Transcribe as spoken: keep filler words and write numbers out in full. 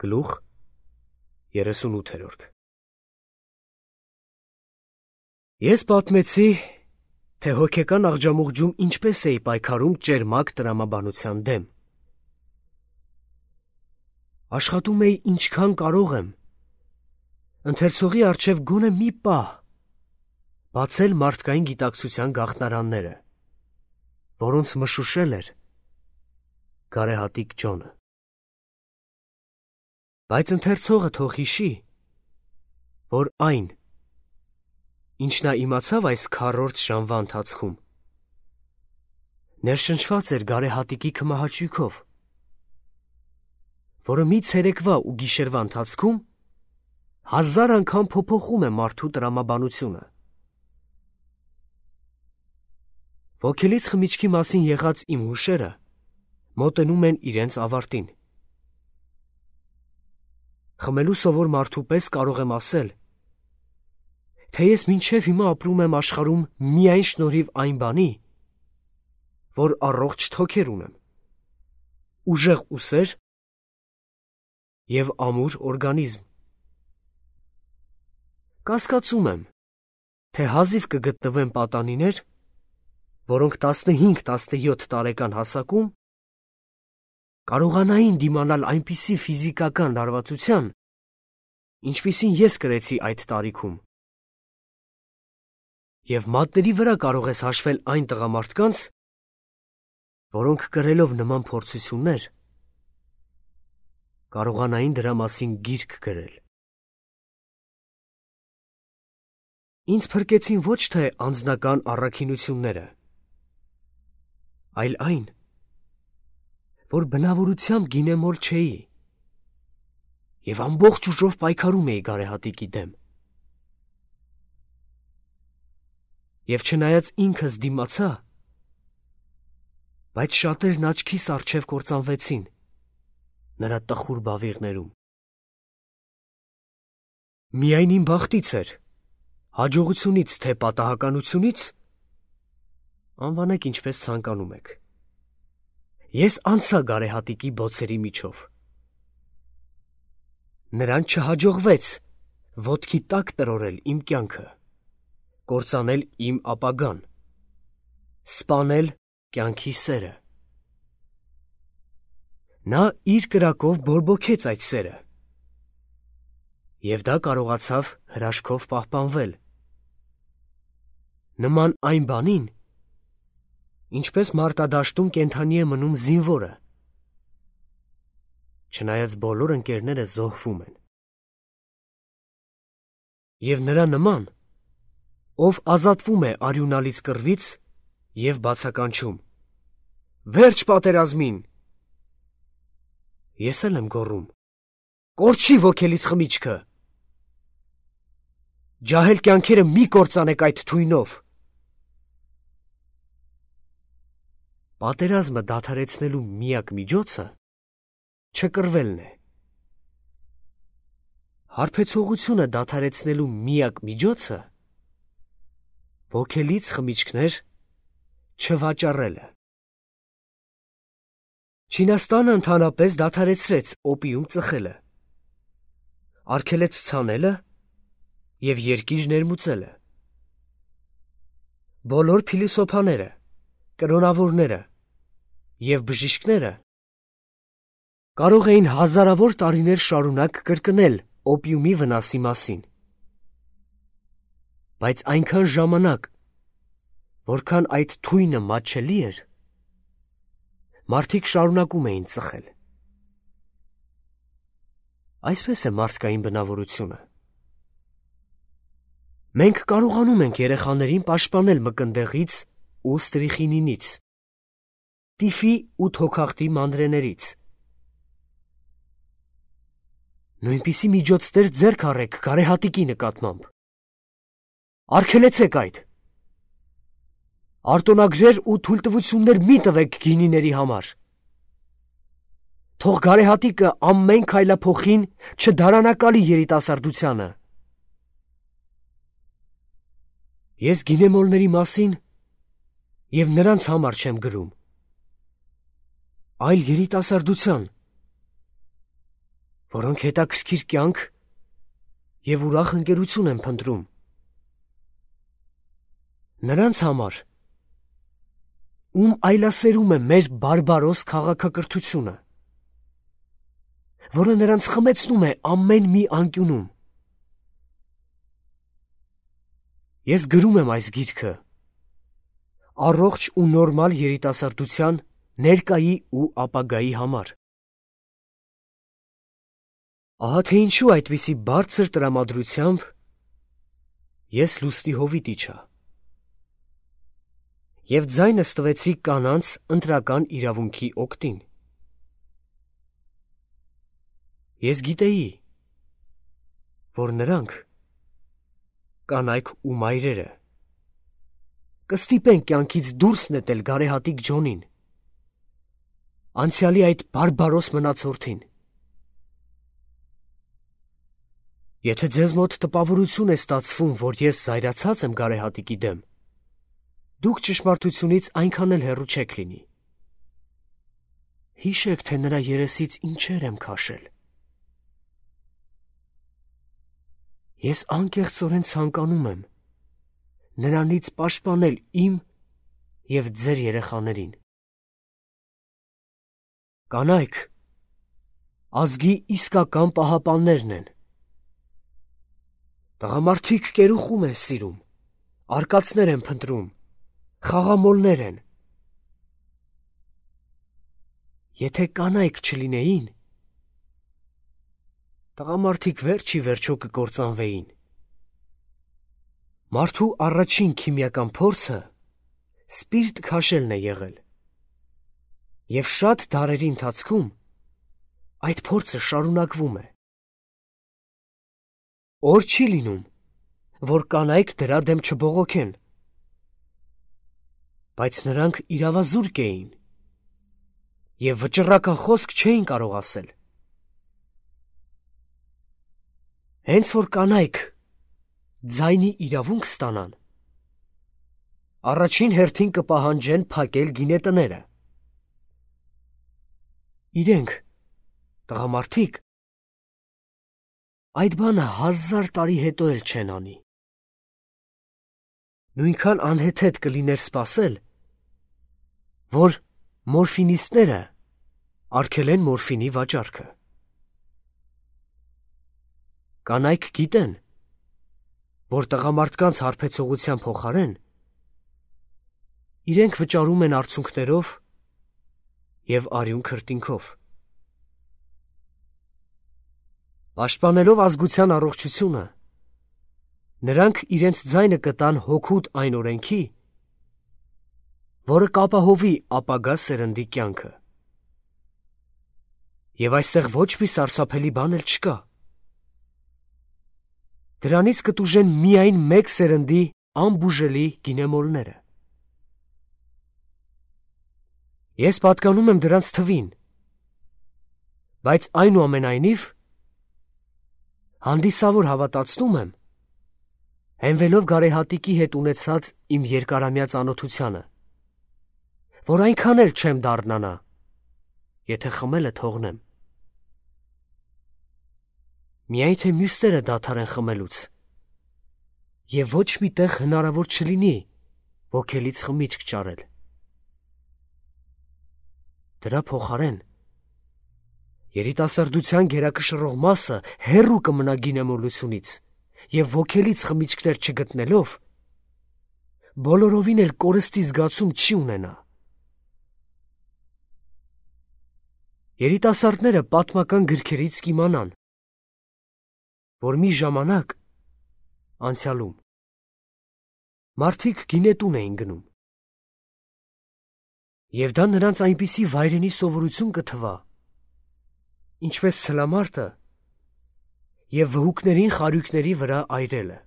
Գլուխ երեսունութերորդ Ես պատմեցի, թե հոգեկան աղջամուղջում ինչպես էի պայքարում ճերմակ տրամաբանության դեմ։ Աշխատում էի ինչքան կարող եմ, ընթերցողի առջև գոնե մի պահ, բացել մարդկային գիտակցության գաղտնարանները, որոնց մշուշել էր գարեհատիկ Ջոնը։ Բայց ընթերցողը թող հիշի, որ այն, ինչ նա իմացավ այս քառորդ ժամվա ընթացքում, ներշնչված էր գարեհատիկի քմահաճույքով, որը մի ցերեկվա ու գիշերվա ընթացքում հազար անգամ փոփոխում է մարդու տրամաբանությունը։ Ոգելից խմիչքի մասին եղած իմ հուշերը մոտենում են իրենց ավարտին։ Խմելու սովոր մարդու պես կարող եմ ասել, թե ես մինչև հիմա ապրում եմ աշխարհում միայն շնորհիվ այն բանի, որ առողջ թոքեր ունեմ, ուժեղ ուսեր և ամուր օրգանիզմ։ Կասկածում եմ, թե հազիվ կգտնվեն պատանիներ, որոնք տասնհինգ տասնյոթ տարեկան հասակում կարողանային դիմանալ այնպիսի ֆիզիկական լարվածության, ինչպիսին ես կրեցի այդ տարիքում։ Եվ մատների վրա կարող ես հաշվել այն տղամարդկանց, որոնք կրելով նման փորձություններ, կարողանային դրա մասին գիրք գրել։ Ինձ փրկեցին ոչ թե անձնական առաքինությունները, այլ այն, որ բնավորությամբ գինեմոլ չէի և ամբողջ ուժով պայքարում էի գարեհատիկի դեմ։ Եվ չնայած ինքս դիմացա, բայց շատերն աչքիս առջև կործանվեցին նրա տխուր բավիղներում։ Միայն իմ բախտից էր, հաջողությունից թե պատահականությունից, անվանեք ինչպես ցանկանում եք, ես անցա գարեհատիկի բոցերի միջով։ Նրան չհաջողվեց ոտքի տակ տրորել իմ կյանքը, կործանել իմ ապագան, սպանել կյանքի սերը։ Նա իր կրակով բորբոքեց այդ սերը, և դա կարողացավ հրաշքով պահպանվել։ Նման այն բանին, ինչպես մարտադաշտում կենդանի է մնում զինվորը, չնայած բոլոր ընկերները զոհվում են։ Եվ նրա նման, ով ազատվում է արյունալից կռվից և բացականչում. «Վերջ պատերազմին», ես էլ եմ գոռում. «Կորչի ոգելից խմիչքը»։ Ջահել կյանքերը մի կործանեք այդ թույնով։ Պատերազմը դադարեցնելու միակ միջոցը չկռվելն է։ Հարբեցողությունը դադարեցնելու միակ միջոցը ոգելից խմիչքներ չվաճառելը։ Չինաստանը ընդհանրապես դադարեցրեց օպիում ծխելը, արգելեց ցանելը և երկիր ներմուծելը։ Բոլոր փիլիսոփաները, կրոնավորները և բժիշկները կարող էին հազարավոր տարիներ շարունակ կրկնել օպիումի վնասի մասին։ Բայց այնքան ժամանակ, որքան այդ թույնը մատչելի էր, մարդիկ շարունակում էին ծխել։ Այսպես է մարդկային բնավորությունը։ Մենք կարողանում ենք երեխաներին պաշտպանել մկնդեղից ու ստրիխինինից, տիֆի ու թոքախտի մանրէներից։ Նույնպիսի միջոցներ ձեռք առեք գարեհատիկի նկատմամբ։ Արգելեցեք այդ։ Արտոնագրեր ու թույլտվություններ մի տվեք գինիների համար։ Թող գարեհատիկը ամեն քայլափոխին չդարանակալի երիտասարդությանը։ Ես գինեմոլների մասին և նրանց համար չեմ գրում, այլ երիտասարդության, որոնք հետաքրքիր կյանք և ուրախ ընկերություն են փնտրում։ Նրանց համար, ում այլասերում է մեր բարբարոս քաղաքակրթությունը, որը նրանց խմեցնում է ամեն մի անկյունում։ Ես գրում եմ այս գիրքը առողջ ու նորմալ երիտասարդության ներկայի ու ապագայի համար։ Ահա թե ինչու այդպիսի բարձր տրամադրությամբ ես լուստի հովիտ իջա և ձայնս տվեցի կանանց ընտրական իրավունքի օգտին։ Ես գիտեի, որ նրանք, կանայք ու մայրերը, կստիպեն կյանքից դուրս նետել գարեհատիկ Ջոնին, անցյալի այդ բարբարոս մնացորդին։ Եթե ձեզ մոտ տպավորություն է ստացվում, որ ես զայրացած եմ գարեհատիկի դեմ, դուք ճշմարտությունից այնքան էլ հեռու չեք լինի։ Հիշեք, թե նրա երեսից ինչեր եմ քաշել։ Ես անկեղծորեն ցանկանում եմ նրանից պաշտպանել իմ և ձեր երեխաներին։ Կանայք ազգի իսկական պահապաններն են։ Տղամարդիկ կերուխում են սիրում, արկածներ են փնտրում, խաղամոլներ են։ Եթե կանայք չլինեին, տղամարդիկ վերջ ի վերջո կկործանվեին։ Մարդու առաջին քիմիական փորձը սպիրտ քաշելն է եղել, և շատ դարերի ընթացքում այդ փորձը շարունակվում է։ Օր չի լինում, որ կանայք դրա դեմ չբողոքեն, բայց նրանք իրավազուրկ էին և վճռական խոսք չէին կարող ասել։ Հենց որ կանայք ձայնի իրավունք ստանան, առաջին հերթին կպահանջեն փակել գինետները։ Իրենք, տղամարդիկ, այդ բանը հազար տարի հետո էլ չեն անի։ Նույնքան անհեթեթ կլիներ սպասել, որ մորֆինիստները արգելեն մորֆինի վաճառքը։ Կանայք գիտեն, որ տղամարդկանց հարբեցողության փոխարեն իրենք վճարում են արցունքներով և արյուն քրտինքով։ Պաշտպանելով ազգության առողջությունը, նրանք իրենց ձայնը կտան հօգուտ այն օրենքի, որը կապահովի ապագա սերնդի կյանքը։ Եվ այստեղ ոչ մի սարսափելի բան էլ չկա։ Դրանից կտուժեն միայն մեկ սերնդի անբուժելի գինեմոլները։ Ես պատկանում եմ դրանց թվին, բայց այնուամենայնիվ հանդիսավոր հավատացնում եմ, հենվելով գարեհատիկի հետ ունեցած իմ երկարամյա ծանոթությանը, որ այնքան էլ չեմ դառնանա, եթե խմելը թողնեմ։ Միայն թե մյուսները դադարեն խմելուց, և ոչ մի տեղ հնարավոր չլինի ոգելից խմիչք ճարել։ Դրա փոխարեն երիտասարդության գերակշռող մասը հեռու կմնա գինեմոլությունից և ոգելից խմիչքներ չգտնելով, բոլորովին էլ կորստի զգացում չի ունենա։ Երիտասարդները պատմական գրքերից կիմանան, որ մի ժամանակ անցյալում մարդիկ գինետուն էին գնում, և դա նրանց այնպիսի վայրենի սովորություն կթվա, ինչպես ցլամարտը և վհուկներին խարույկների վրա այրելը։